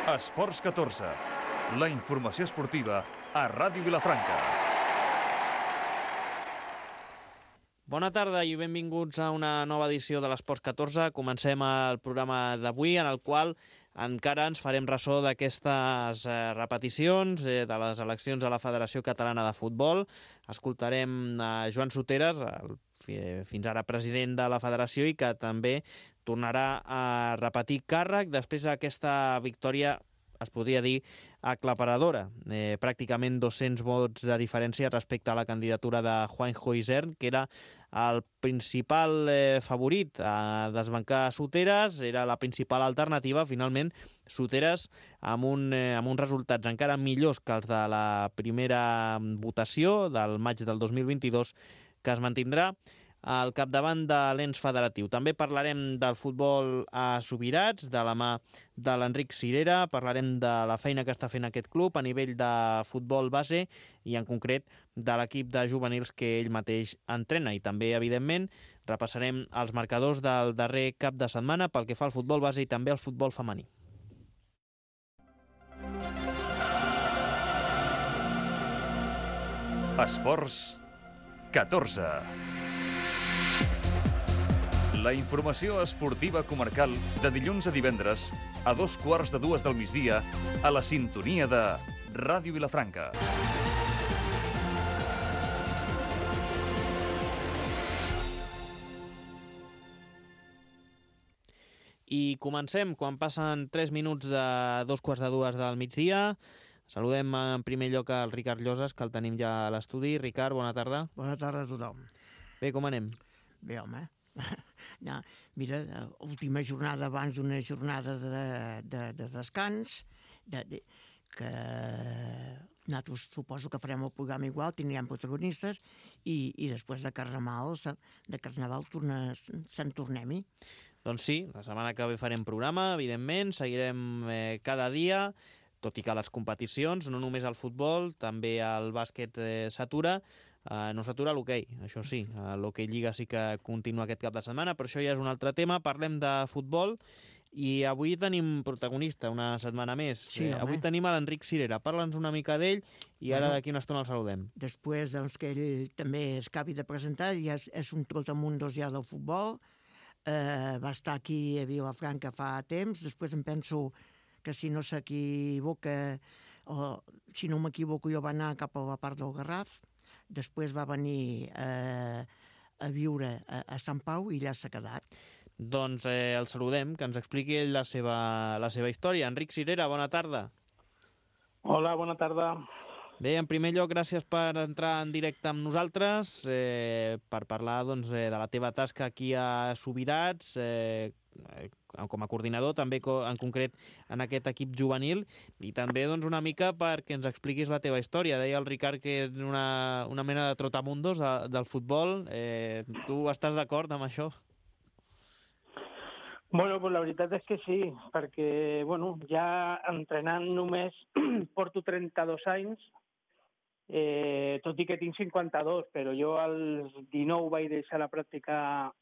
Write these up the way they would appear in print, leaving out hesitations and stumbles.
Esports 14, la informació esportiva a Ràdio Vilafranca. Bona tarda i benvinguts a una nova edició de l'Esports 14. Comencem el programa d'avui, en el qual encara ens farem ressò d'aquestes repeticions de les eleccions a la Federació Catalana de Futbol. Escoltarem a Joan Soteras, fins ara president de la federació, i que també tornarà a repetir càrrec després d'aquesta victòria, es podria dir, aclaparadora. Pràcticament 200 vots de diferència respecte a la candidatura de Juanjo Isern, que era el principal favorit a desbancar Soteras, era la principal alternativa. Finalment, Soteras, amb uns resultats encara millors que els de la primera votació del maig del 2022, que es mantindrà al capdavant de l'ens federatiu. També parlarem del futbol a Subirats, de la mà de l'Enric Cirera, parlarem de la feina que està fent aquest club a nivell de futbol base i en concret de l'equip de juvenils que ell mateix entrena. I també, evidentment, repassarem els marcadors del darrer cap de setmana pel que fa al futbol base i també al futbol femení. Esports 14. La informació esportiva comarcal de dilluns a divendres a 2:15 del migdia a la sintonia de Ràdio Vilafranca. I comencem quan passen 3 minuts de 2:15 del migdia. Saludem en primer lloc al Ricard Llosas, que el tenim ja a l'estudi. Ricard, bona tarda. Bona tarda a tothom. Bé, com anem? Bé, home. No, mira, última jornada abans d'una jornada de descans, que nosaltres suposo que farem el programa igual, tindrem protagonistes, i després de Carnaval se'n tornem-hi. Doncs sí, la setmana que ve farem programa, evidentment, seguirem cada dia, tot i que les competicions, no només el futbol, també el bàsquet s'atura. No s'atura l'hoquei, això sí. L'hoquei Lliga sí que continua aquest cap de setmana, però això ja és un altre tema. Parlem de futbol i avui tenim protagonista una setmana més. Sí, avui tenim a l'Enric Cirera. Parla'ns una mica d'ell i ara d'aquí una estona el saludem. Després que ell també es acabi de presentar, ja és un trotamundos ja del futbol. Va estar aquí a Vilafranca fa temps. Després em penso que si no s'equivoca, o si no m'equivoco, jo va anar cap a la part del Garraf. Després va venir a viure a Sant Pau i allà s'ha quedat. Doncs el saludem, que ens expliqui ell la seva història. Enric Cirera, bona tarda. Hola, bona tarda. Bé, en primer lloc, gràcies per entrar en directe amb nosaltres, per parlar de la teva tasca aquí a Subirats, com a coordinador, també en concret en aquest equip juvenil, i també una mica perquè ens expliquis la teva història. Deia el Ricard que és una mena de trotamundos del futbol. Tu estàs d'acord amb això? Bueno, pues la veritat és que sí, perquè ja entrenant només porto 32 anys, tot i que tinc 52, però jo als 19 vaig deixar la pràctica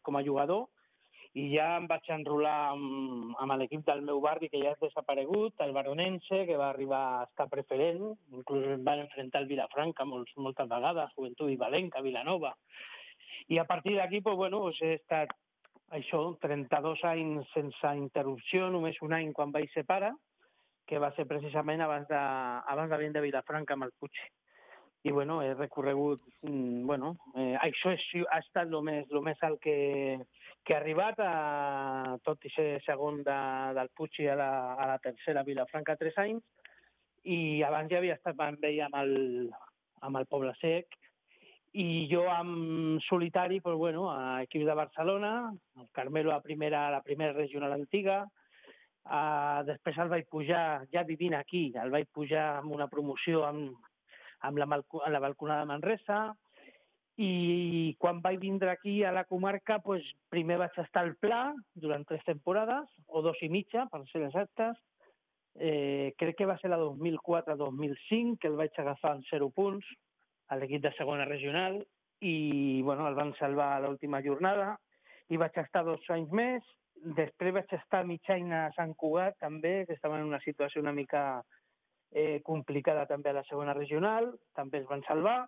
com a jugador i ja em vaig enrolar amb l'equip del meu barri, que ja és desaparegut, el Baronense, que va arribar a estar preferent, inclús em van enfrontar al Vilafranca moltes vegades, Joventut i Valenca, Vilanova. I a partir d'aquí, he estat 32 anys sense interrupció, només un any quan vaig ser pare, que va ser precisament abans de venir de Vilafranca amb el Puig. I he recorregut, això ha estat el més alt que he arribat, tot i ser segon del Puig a la tercera Vilafranca 3 anys, i abans ja havia estat amb ell amb el Poble Sec, i jo en solitari, a equips de Barcelona, el Carmelo a la primera regional antiga. Després el vaig pujar, ja vivint aquí, el vaig pujar amb una promoció amb la balconada de Manresa, i quan vaig vindre aquí a la comarca, primer vaig estar al Pla durant 3 temporades, o 2 i mitja, per ser exactes. Crec que va ser la 2004-2005, que el vaig agafar en 0 punts, a l'equip de segona regional, i el van salvar a l'última jornada, hi vaig estar 2 anys més. Després vaig estar mig any a Sant Cugat, també, que estava en una situació una mica complicada també a la segona regional, també es van salvar.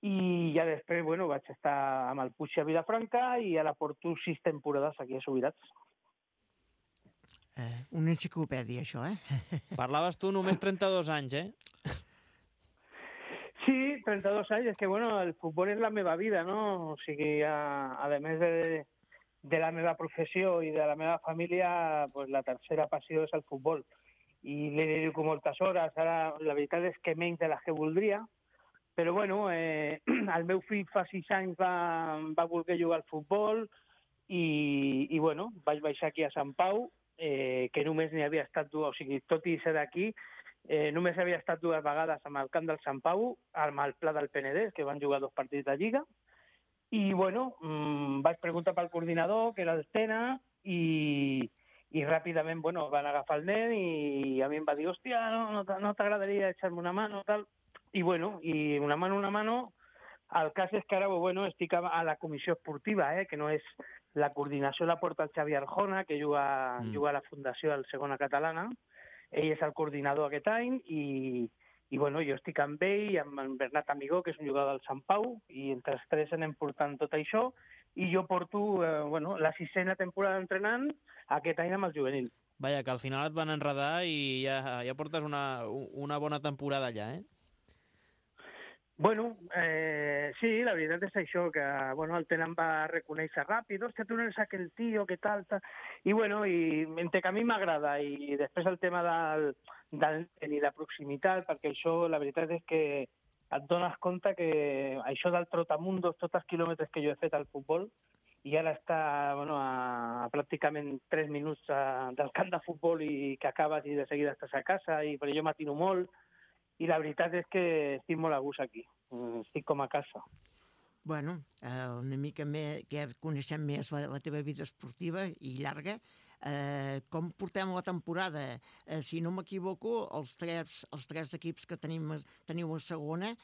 I ja després, bueno, vaig estar amb el Puig a Vilafranca i ara porto 6 temporades aquí a Subirats. Una enciclopèdia, això, Parlaves tu només 32 anys, Sí, 32 anys. És que, bueno, el futbol és la meva vida, no? O sigui, a més de la meva professió i de la meva família, pues, la tercera passió és el futbol. I li dedico moltes hores. Ara, la veritat és que menys de les que voldria, però, bueno, el meu fill fa 6 anys va voler jugar al futbol i bueno, vaig baixar aquí a Sant Pau, que només n'hi havia estat 2, o sigui, tot i ser d'aquí, només havia estat 2 vegades amb el camp del Sant Pau, amb el Pla del Penedès, que van jugar 2 partits de Lliga, i, bueno, vaig preguntar pel coordinador, que era el Tena, i ràpidament, bueno, van agafar el nen i a mi em va dir, hòstia, no t'agradaria echar-me una mano, tal. I, bueno, i una mano, el cas és que ara, bueno, estic a la comissió esportiva, que no és la coordinació, la porta el Xavi Arjona, que juga a la Fundació al Segona Catalana. Ell és el coordinador aquest any i bueno, jo estic amb ell i amb en Bernat Amigó, que és un jugador del Sant Pau, i entre els 3 anem portant tot això, i jo porto la 6a temporada entrenant aquest any amb el juvenil. Vaja, que al final et van enredar i ja portes una bona temporada allà, Bueno, sí, la veritat és això, que bueno, el Tena em va reconèixer ràpid, hòstia, tu no eres aquell tio, què tal, tal. I bueno, entre que a mi m'agrada i després el tema del i la proximitat, perquè això, la veritat és que et dones compte que això del trotamundos, tots els quilòmetres que jo he fet al futbol, i ara està a pràcticament 3 minuts del camp de futbol i que acabes i de seguida estàs a casa, i per jo m'atino molt, i la veritat és que estic molt a gust aquí, estic com a casa. Bueno, una mica més, que ja coneixem més la teva vida esportiva i llarga, com portem la temporada? Si no m'equivoco, els tres equips que teniu a segona,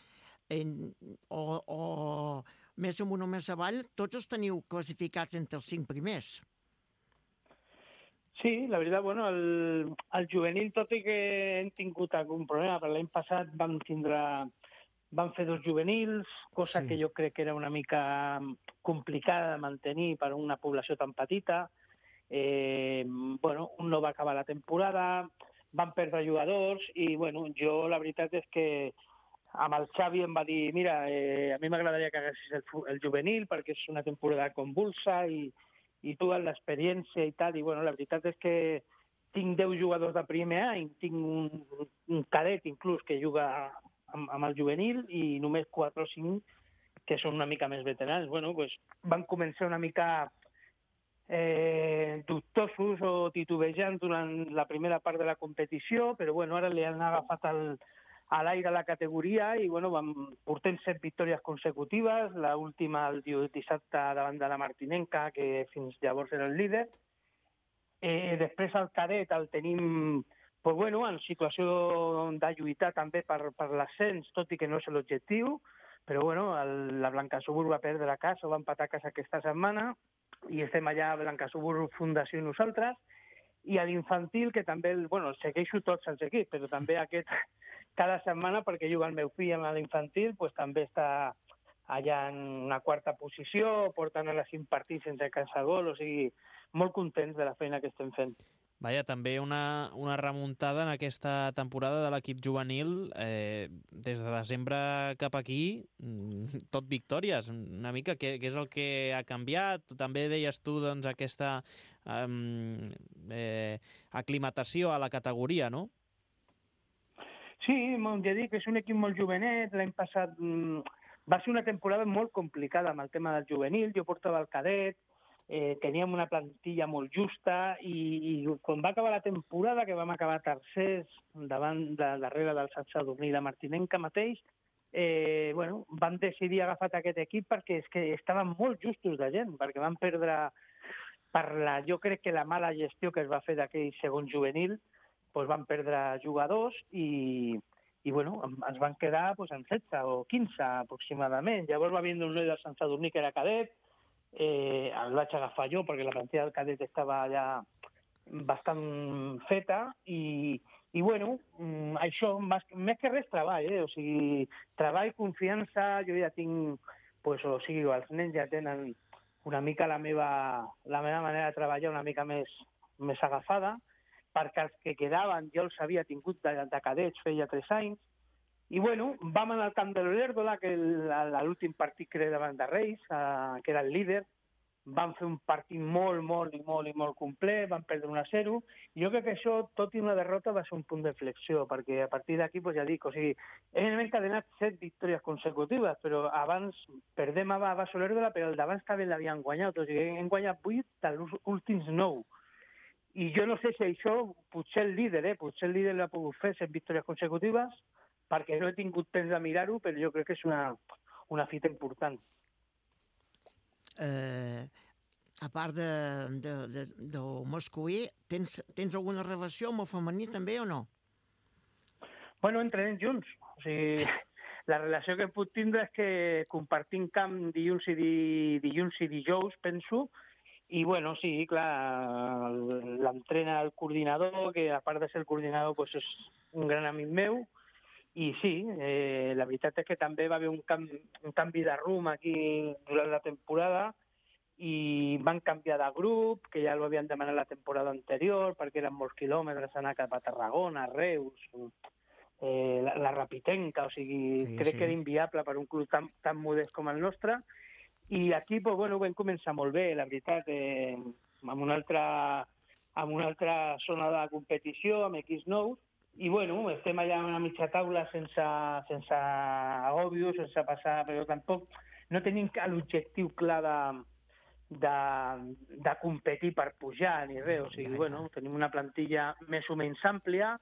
o més amunt o més avall, tots els teniu classificats entre els 5 primers. Sí, la veritat, bueno, el juvenil, tot i que hem tingut algun problema, però l'any passat vam fer 2 juvenils, cosa que jo crec que era una mica complicada de mantenir per una població tan petita. Bueno, un no va acabar la temporada, van perdre jugadors i, bueno, jo la veritat és que amb el Xavi em va dir, mira, a mi m'agradaria que haguessis el juvenil perquè és una temporada convulsa i tu amb l'experiència i tal, i bueno, la veritat és que tinc 10 jugadors de primer any, tinc un cadet inclús que juga amb el juvenil i només 4 o 5 que són una mica més veterans. Bueno, pues van començar una mica dubtosos o titubejant durant la primera part de la competició, però bueno, ara li han agafat a l'aire la categoria i bueno, portem 7 victòries consecutives, l'última el dissabte davant de la Martinenca, que fins llavors era el líder. Després el cadet el tenim pues bueno, en situació de lluitar també per l'ascens, tot i que no és l'objectiu, però bueno, la Blancasúbur va perdre a casa, va empatar a casa aquesta setmana, i estem allà a Blancasúbur Fundació i nosaltres, i a l'infantil, que també, bueno, segueixo tots els equips, però també aquest cada setmana, perquè juga el meu fill amb l'infantil, pues, també està allà en una 4a posició, portant a les 5 partits sense cansar gol, o sigui, molt contents de la feina que estem fent. Vaja, també una remuntada en aquesta temporada de l'equip juvenil, des de desembre cap aquí, tot victòries, una mica, què és el que ha canviat? També deies tu, doncs, aquesta aclimatació a la categoria, no? Sí, ja dic, és un equip molt jovenet, l'any passat va ser una temporada molt complicada amb el tema del juvenil, jo portava el cadet, teníem una plantilla molt justa i quan va acabar la temporada, que vam acabar tercers darrere del Sant Sadurní i la Martinenca mateix, bueno, vam decidir agafar aquest equip perquè és que estaven molt justos de gent, perquè van perdre jo crec que la mala gestió que es va fer d'aquell segon juvenil, doncs van perdre jugadors i bueno, ens van quedar en 16 o 15 aproximadament. Llavors va vindre un noi del Sant Sadurní que era cadet, el vaig agafar jo perquè la plantilla del cadet estava ja bastant feta i bueno, això més que res treball, o sigui, treball, confiança, jo ja tinc, pues, o sigui, els nens ja tenen una mica la meva manera de treballar una mica més agafada, perquè els que quedaven jo els havia tingut de cadets feia 3 anys, i bueno, vam anar al camp de l'Olèrdola, que l'últim partit que era davant de Reis, que era el líder, van fer un partit molt complet, van perdre 1-0, i jo crec que això, tot i una derrota, va ser un punt de flexió, perquè a partir d'aquí, pues ja dic, o sigui, hem encadenat 7 victòries consecutives, però abans perdem a Olèrdola, però el d'abans també l'havien guanyat, o sigui, hem guanyat 8 dels últims 9. I jo no sé si això, potser el líder l'ha pogut fer 7 victòries consecutives, perquè no he tingut temps de mirar-ho, però jo crec que és una fita important. A part del masculí, tens alguna relació amb el femení també o no? Bueno, entrenem junts. O sigui, la relació que puc tindre és que compartim camp dilluns i dijous, penso, i bueno, sí, clar, l'entrena el coordinador, que a part de ser el coordinador pues és un gran amic meu, i sí, la veritat és que també va haver un canvi de rumb aquí durant la temporada i van canviar de grup, que ja ho havien demanat la temporada anterior perquè eren molts quilòmetres anar cap a Tarragona, Reus, la Rapitenca, o sigui, crec que era inviable per un club tan modest com el nostre. I aquí, pues, bueno, vam començar molt bé, la veritat, amb una altra zona de competició, amb equips nous, i bueno, estem allà a una mitja taula sense agòbios, sense passar, però tampoc no tenim l'objectiu clar de competir per pujar ni res, o sigui, bueno, tenim una plantilla més o menys àmplia,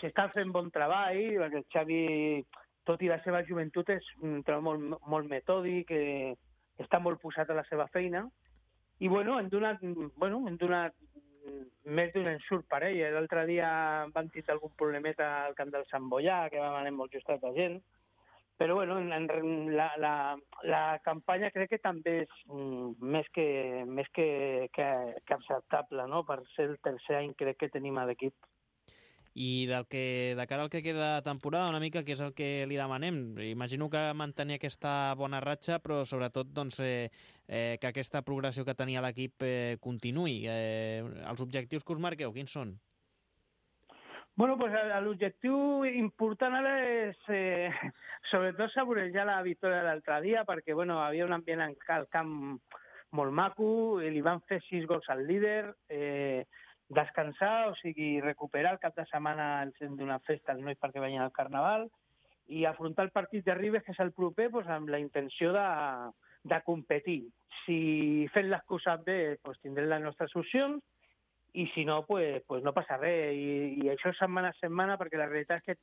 s'està fent bon treball, perquè el Xavi, tot i la seva joventut, és un treball molt metòdic, està molt posat a la seva feina, i bueno, hem donat més d'un ensurt per ell. L'altre dia van tindre algun problemeta al camp del Sant Boià, que vam anar molt justat de gent, però bueno, la campanya crec que també és més que acceptable, no? Per ser el tercer any crec que tenim a l'equip. I de cara al que queda temporada, una mica, què és el que li demanem? Imagino que mantenir aquesta bona ratxa, però sobretot doncs, que aquesta progressió que tenia l'equip continuï. Els objectius que us marqueu, quins són? Bueno, pues l'objectiu important ara és sobretot saborejar la victòria de l'altre dia, perquè bueno, havia un ambient al camp molt maco, li van fer 6 gols al líder, descansar, o sigui, recuperar el cap de setmana, ens hem donat festa als nois perquè vagin al Carnaval, i afrontar el partit de Ribes, que és el proper, pues, amb la intenció de competir. Si fent les coses bé, pues, tindrem les nostres opcions, i si no, pues no passa res. I això és setmana a setmana, perquè la realitat és que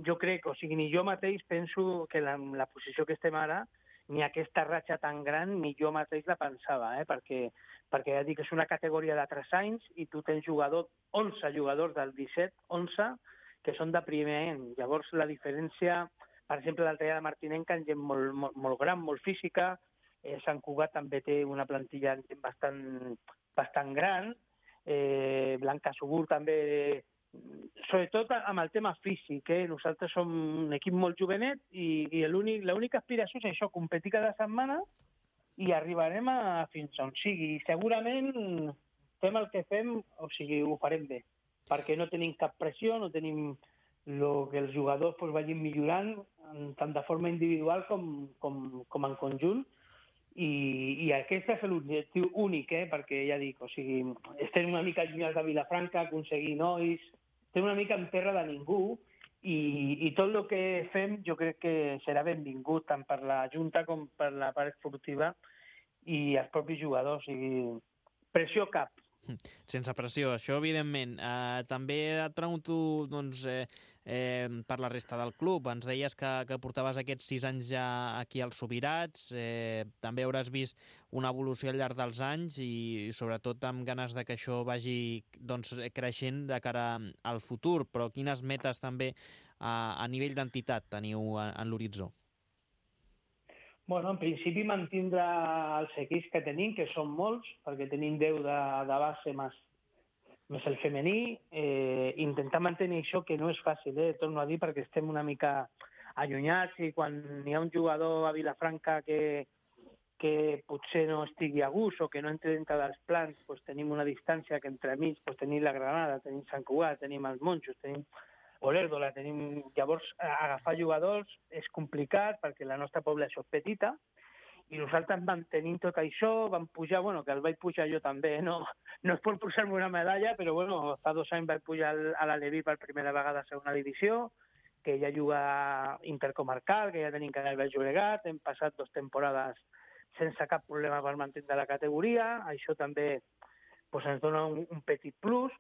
jo crec, o sigui, ni jo mateix penso que la posició que estem ara, ni aquesta ratxa tan gran, ni jo mateix la pensava, perquè ja dic que és una categoria de 3 anys i tu tens 11 jugadors del 17, 11, que són de primer any. Llavors la diferència, per exemple, l'altre dia de Martinenca, gent molt gran, molt física, Sant Cugat també té una plantilla bastant gran, Blanca Subur també, sobretot amb el tema físic, nosaltres som un equip molt jovenet i l'única aspiració és això, competir cada setmana i arribarem fins on sigui. Segurament fem el que fem, o sigui, ho farem bé, perquè no tenim cap pressió, no tenim que els jugadors vagin millorant tant de forma individual com en conjunt, i aquest és l'objectiu únic, perquè ja dic, o sigui, estem una mica allunyats de Vilafranca, aconseguir nois, estem una mica en terra de ningú, i tot el que fem jo crec que serà benvingut tant per la Junta com per la part esportiva i els propis jugadors. O sigui, pressió cap. Sense pressió, això evidentment. També et pregunto doncs, per la resta del club. Ens deies que portaves aquests 6 anys ja aquí als Subirats. També hauràs vist una evolució al llarg dels anys i sobretot amb ganes de que això vagi doncs, creixent de cara al futur. Però quines metes també a nivell d'entitat teniu en l'horitzó? Bueno, en principi mantindre els equips que tenim, que són molts, perquè tenim 10 de base més el femení, intentar mantenir això, que no és fàcil, torno a dir, perquè estem una mica allunyats i quan hi ha un jugador a Vilafranca que potser no estigui a gust o que no entre dintre dels plans, doncs tenim una distància que entremig tenim la Granada, tenim Sant Cugat, tenim els Monjos, tenim Olèrdola, tenim... Llavors, agafar jugadors és complicat perquè la nostra població és petita i nosaltres mantenim tot això, vam pujar, bueno, que el vaig pujar jo també, no és per posar-me una medalla, però bueno, fa 2 anys vaig pujar a l'Aleví per primera vegada a segona divisió, que ja juga intercomarcal, que ja tenim Canal Baix Llobregat, hem passat 2 temporades sense cap problema per mantenir la categoria, això també ens dona un petit plus,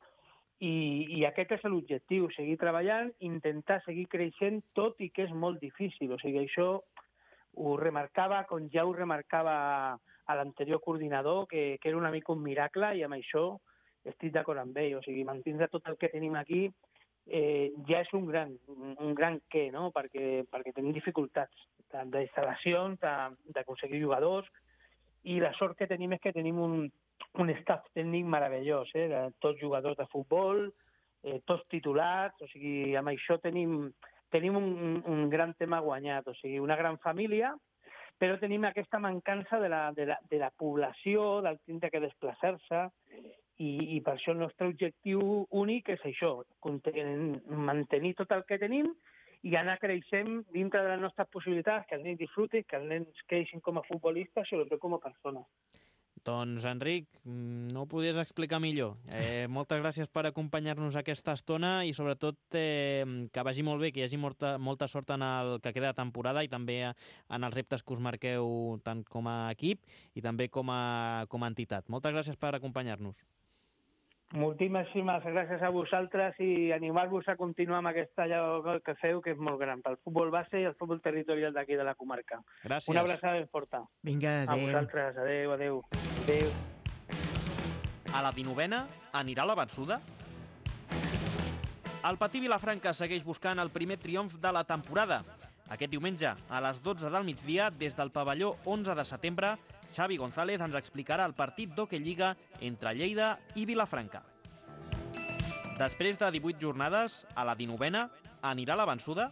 i aquest és l'objectiu, seguir treballant, intentar seguir creixent, tot i que és molt difícil. O sigui, això ho remarcava, com ja ho remarcava a l'anterior coordinador, que era una mica un miracle, i amb això estic d'acord amb ell. O sigui, mantindre tot el que tenim aquí ja és un gran què, no? Perquè tenim dificultats d'instal·lacions, d'aconseguir jugadors, i la sort que tenim és que tenim un staff tècnic meravellós, tots jugadors de futbol, tots titulats, o sigui, amb això tenim un gran tema guanyat, o sigui, una gran família, però tenim aquesta mancança de la població, del tindre que desplaçar-se, i per això el nostre objectiu únic és això, mantenir tot el que tenim i anar creixent dintre de les nostres possibilitats, que els nens disfrutin, que els nens creixin com a futbolistes, sobretot com a persones. Doncs, Enric, no ho podies explicar millor. Moltes gràcies per acompanyar-nos aquesta estona i, sobretot, que vagi molt bé, que hi hagi molta sort en el que queda de temporada i també en els reptes que us marqueu tant com a equip i també com a entitat. Moltes gràcies per acompanyar-nos. Moltíssimes gràcies a vosaltres i animar-vos a continuar amb aquesta allò que feu, que és molt gran, pel futbol base i el futbol territorial d'aquí de la comarca. Gràcies. Una abraçada ben forta. Vinga, adéu. A vosaltres, adéu. Adéu. A la 19a anirà la vençuda? El Patí Vilafranca segueix buscant el primer triomf de la temporada. Aquest diumenge, a les 12 del migdia, des del pavelló 11 de setembre, Xavi González ens explicarà el partit d'Hockey Lliga entre Lleida i Vilafranca. Després de 18 jornades, a la 19a anirà la vençuda?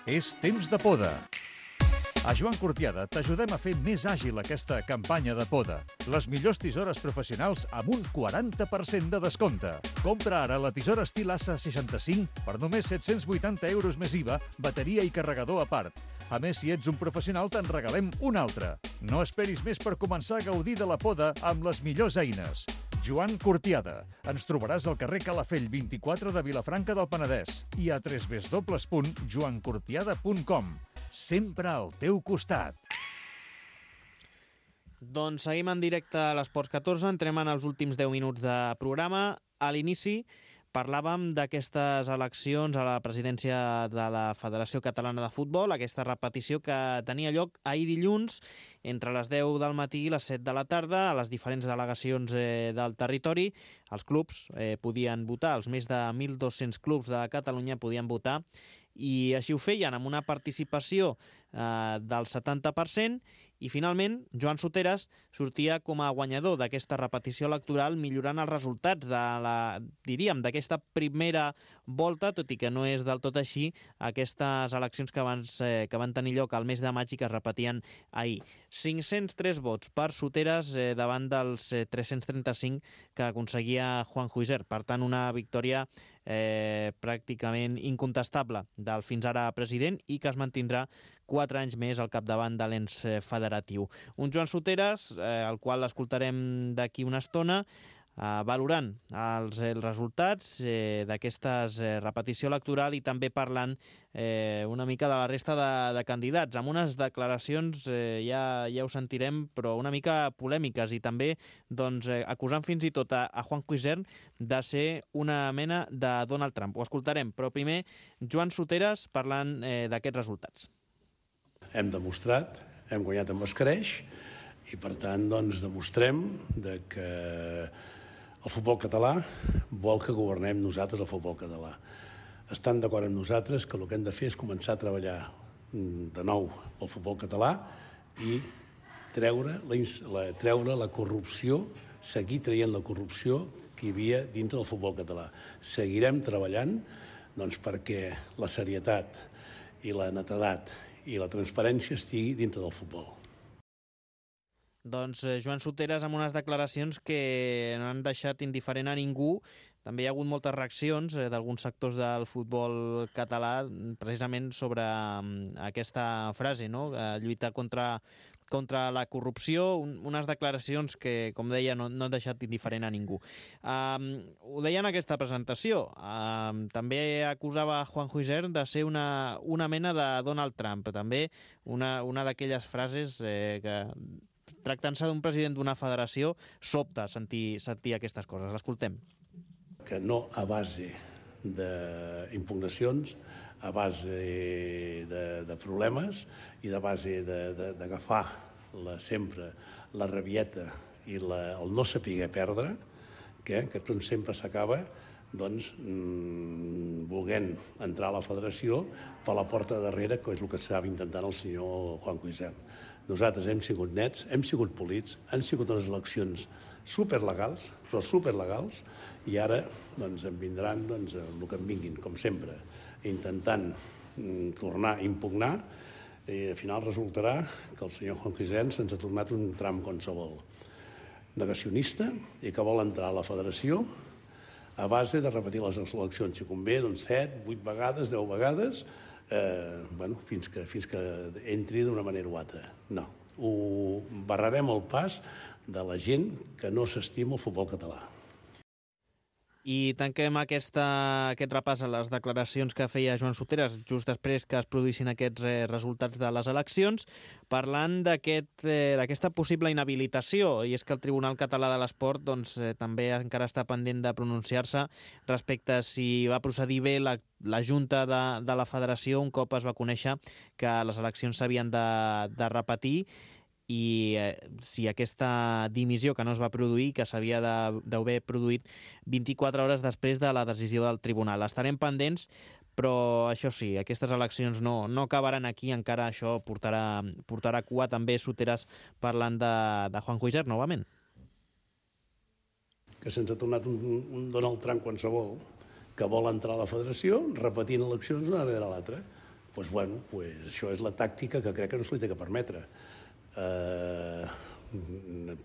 És temps de poda. A Joan Cortiada t'ajudem a fer més àgil aquesta campanya de poda. Les millors tisores professionals amb un 40% de descompte. Compra ara la tisora estil Assa 65 per només 780 euros més IVA, bateria i carregador a part. A més, si ets un professional, te'n regalem una altra. No esperis més per començar a gaudir de la poda amb les millors eines. Joan Cortiada. Ens trobaràs al carrer Calafell 24 de Vilafranca del Penedès i a www.joancortiada.com. Sempre al teu costat. Doncs seguim en directe a l'Esports 14, entrem en els últims 10 minuts de programa. A l'inici parlàvem d'aquestes eleccions a la presidència de la Federació Catalana de Futbol, aquesta repetició que tenia lloc ahir dilluns entre les 10 del matí i les 7 de la tarda a les diferents delegacions del territori. Els clubs podien votar, els més de 1.200 clubs de Catalunya podien votar, i així ho feien amb una participació del 70%, i finalment Joan Soteras sortia com a guanyador d'aquesta repetició electoral, millorant els resultats d'aquesta primera volta, tot i que no és del tot així aquestes eleccions que van tenir lloc al mes de maig i que es repetien ahir. 503 vots per Soteras davant dels 335 que aconseguia Juan Huiser. Per tant, una victòria pràcticament incontestable del fins ara president i que es mantindrà 4 anys més al capdavant de l'ens federatiu. Un Joan Soteras, el qual escoltarem d'aquí una estona, valorant els resultats d'aquesta repetició electoral i també parlant una mica de la resta de candidats, amb unes declaracions, ja ho sentirem, però una mica polèmiques, i també acusant fins i tot a Juan Huiser de ser una mena de Donald Trump. Ho escoltarem, però primer Joan Soteras parlant d'aquests resultats. Hem demostrat, hem guanyat amb escreix i per tant demostrem que El futbol català vol que governem nosaltres el futbol català. Estan d'acord amb nosaltres que el que hem de fer és començar a treballar de nou pel futbol català i treure la corrupció, seguir traient la corrupció que hi havia dintre del futbol català. Seguirem treballant perquè la serietat i la netedat i la transparència estigui dintre del futbol. Doncs Joan Soteras amb unes declaracions que no han deixat indiferent a ningú. També hi ha hagut moltes reaccions d'alguns sectors del futbol català precisament sobre aquesta frase, no? Lluitar contra la corrupció, unes declaracions que, com deia, no han deixat indiferent a ningú. Ho deia en aquesta presentació. També acusava Juanjo Isern de ser una mena de Donald Trump. També una d'aquelles frases que, tractant-se d'un president d'una federació, sobta sentir aquestes coses. L'escoltem. Que no a base d'impugnacions, a base de problemes i de base d'agafar sempre la rabieta i el no saber perdre, que tot sempre s'acaba volent entrar a la federació per la porta de darrere, que és el que estava intentant el senyor Juanjo Isern. Nosaltres hem sigut nets, hem sigut polits, han sigut unes eleccions superlegals, però superlegals, i ara em vindran el que em vinguin, com sempre, intentant tornar a impugnar, i al final resultarà que el senyor Juanjo Isern se'ns ha tornat un tram qualsevol negacionista i que vol entrar a la federació a base de repetir les eleccions, si convé, 7, 8 vegades, 10 vegades, fins que entri d'una manera o altra. No, ho barrarem el pas de la gent que no s'estima el futbol català. I tanquem aquest repàs a les declaracions que feia Joan Soteras just després que es produïssin aquests resultats de les eleccions, parlant d'aquesta possible inhabilitació. I és que el Tribunal Català de l'Esport també encara està pendent de pronunciar-se respecte a si va procedir bé la Junta de la Federació un cop es va conèixer que les eleccions s'havien de repetir, i si aquesta dimissió que no es va produir, que s'havia d'haver produït 24 hores després de la decisió del tribunal. Estarem pendents, però això sí, aquestes eleccions no acabaran aquí, encara això portarà cua. També Soteras parlant de Juanjo Isern, novament. Que se'ns ha tornat un Donald Trump qualsevol que vol entrar a la federació repetint eleccions una darrere l'altra. Això és la tàctica que crec que no se li té que permetre. Per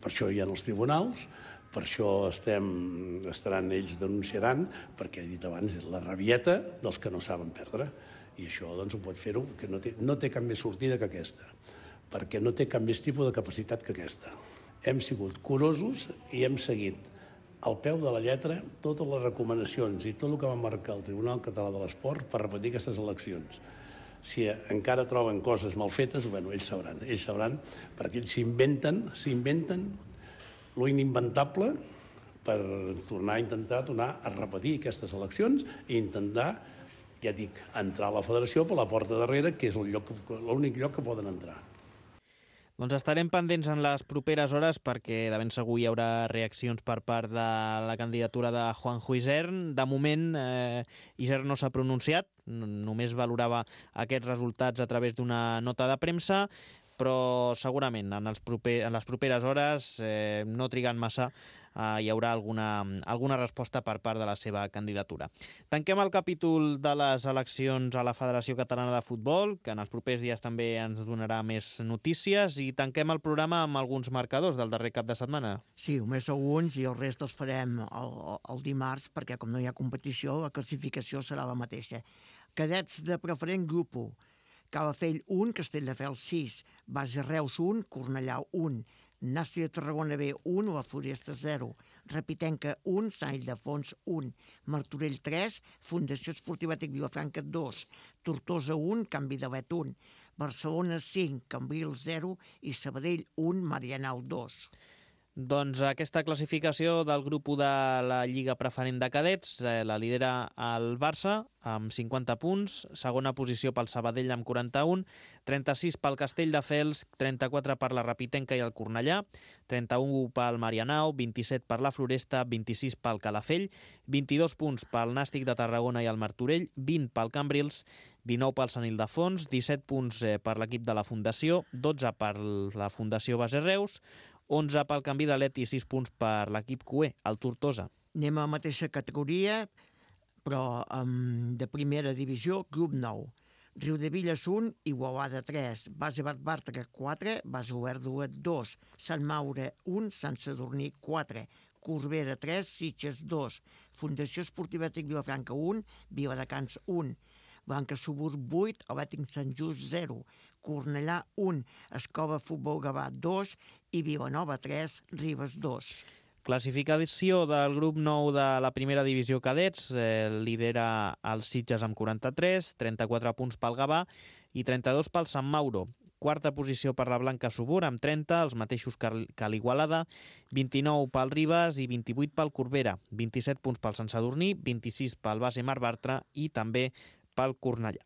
això hi ha els tribunals, per això ells denunciaran, perquè he dit abans, és la rabieta dels que no saben perdre, i això ho pot fer-ho, que no té cap més sortida que aquesta, perquè no té cap més tipus de capacitat que aquesta. Hem sigut curosos i hem seguit al peu de la lletra totes les recomanacions i tot el que va marcar el Tribunal Català de l'Esport per repetir aquestes eleccions. Si encara troben coses mal fetes, ells sabran, perquè ells s'inventen lo inimventable per tornar a repetir aquestes eleccions i intentar, ja dic, entrar a la federació per la porta darrere, que és l'únic lloc que poden entrar. Doncs estarem pendents en les properes hores perquè de ben segur hi haurà reaccions per part de la candidatura de Juanjo Isern. De moment, Isern no s'ha pronunciat, només valorava aquests resultats a través d'una nota de premsa, però segurament en les properes hores, no trigant massa, hi haurà alguna resposta per part de la seva candidatura. Tanquem el capítol de les eleccions a la Federació Catalana de Futbol, que en els propers dies també ens donarà més notícies, i tanquem el programa amb alguns marcadors del darrer cap de setmana. Sí, només alguns, i el rest els farem el dimarts, perquè com no hi ha competició, la classificació serà la mateixa. Cadets de preferent grup 1. Calafell 1, Castelldefels 6, Base Reus 1, Cornellà 1, Nàstia de Tarragona B 1, La Floresta 0, Repitenca 1, Sant Ildefons 1, Martorell 3, Fundació Esportiva Tec Vilafranca 2, Tortosa 1, Can Vidalet 1, Barcelona 5, Cambrils 0 i Sabadell 1, Marianao 2. Doncs aquesta classificació del grup 1 de la Lliga Preferent de Cadets la lidera el Barça amb 50 punts, segona posició pel Sabadell amb 41, 36 pel Castelldefels, 34 per la Rapitenca i el Cornellà, 31 pel Marianao, 27 per la Floresta, 26 pel Calafell, 22 punts pel Nàstic de Tarragona i el Martorell, 20 pel Cambrils, 19 pel Sant Ildefons, 17 punts per l'equip de la Fundació, 12 per la Fundació Base Reus, 11 pel Canvi de Let i 6 punts per l'equip QE, el Tortosa. Anem a la mateixa categoria, però de primera divisió, grup 9. Riudebitlles 1, Igualada 3, Base Bartra 4, Base Olèrdola 2, Sant Maure 1, Sant Sadurní 4, Corbera 3, Sitges 2, Fundació Esportiva Tic Vilafranca 1, Viladecans 1, Blanca Subur 8, Atlètic Sant Just 0, Cornellà 1, Escola Futbol Gavà 2 i Vilanova 3, Ribes 2. Classificació del grup 9 de la primera divisió cadets, lidera els Sitges amb 43, 34 punts pel Gavà i 32 pel Sant Mauro. Quarta posició per la Blanca Subur amb 30, els mateixos que l'Igualada, 29 pel Ribes i 28 pel Corbera, 27 punts pel Sant Sadurní, 26 pel Base Mar Bartra i també pel Cornellà.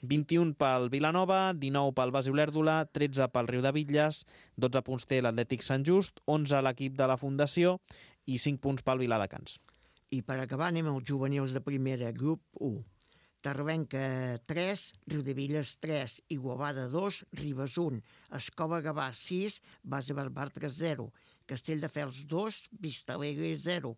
21 pel Vilanova, 19 pel Base Olèrdola, 13 pel Riudebitlles, 12 punts té l'Atlètic Sant Just, 11 l'equip de la Fundació i 5 punts pel Viladecans. I per acabar anem als juvenils de primera, grup 1. Tarvenca 3, Riudebitlles 3, Igualada 2, Ribes 1, Escola Gavà 6, Base Bartra 0, Castelldefels 2, Vista Alegre 0,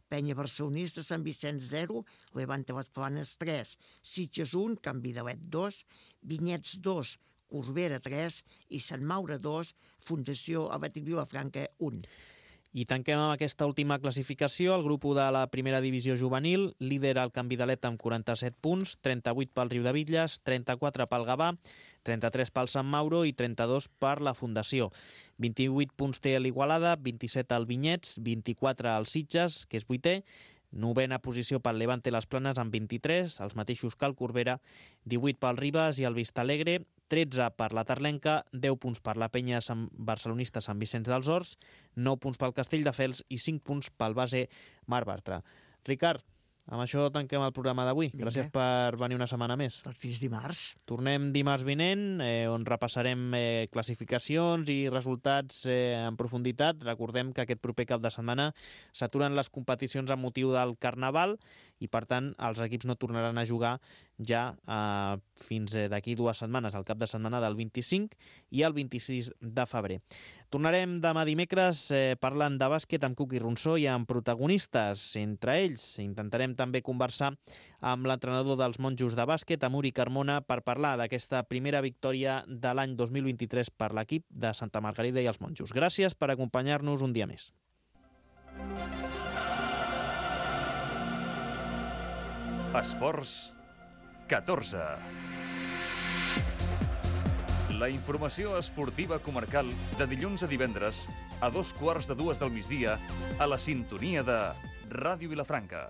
Penya Barcelonista Sant Vicenç 0, Levante Les Planes 3, Sitges 1, Canvi de Let 2, Vinyets 2, Corbera 3 i Sant Maure 2, Fundació Atlètic Vilafranca 1. I tanquem amb aquesta última classificació. El grup 1 de la primera divisió juvenil lidera el Canvi de Let amb 47 punts, 38 pel Riudebitlles, 34 pel Gavà, 33 pel Sant Mauro i 32 per la Fundació. 28 punts té l'Igualada, 27 al Vinyets, 24 al Sitges, que és 8è, novena posició pel Levante Les Planes amb 23, els mateixos que el Corbera, 18 pel Ribes i el Vistalegre, 13 per la Tarlenca, 10 punts per la Penya Barcelonista Sant Vicenç dels Horts, 9 punts pel Castelldefels i 5 punts pel Base Mar Bartra. Ricard, amb això tanquem el programa d'avui. Gràcies per venir una setmana més. Doncs fins dimarts. Tornem dimarts vinent, on repassarem classificacions i resultats en profunditat. Recordem que aquest proper cap de setmana s'aturen les competicions amb motiu del Carnaval i, per tant, els equips no tornaran a jugar ja fins d'aquí 2 setmanes, el cap de setmana del 25 i el 26 de febrer. Tornarem demà dimecres parlant de bàsquet amb Cuqui Ronsó i amb protagonistes. Entre ells intentarem també conversar amb l'entrenador dels monjos de bàsquet, Amuri Carmona, per parlar d'aquesta primera victòria de l'any 2023 per l'equip de Santa Margarida i els monjos. Gràcies per acompanyar-nos un dia més. Esports 14. La informació esportiva comarcal de dilluns a divendres a 2:15 del migdia a la sintonia de Ràdio Vilafranca.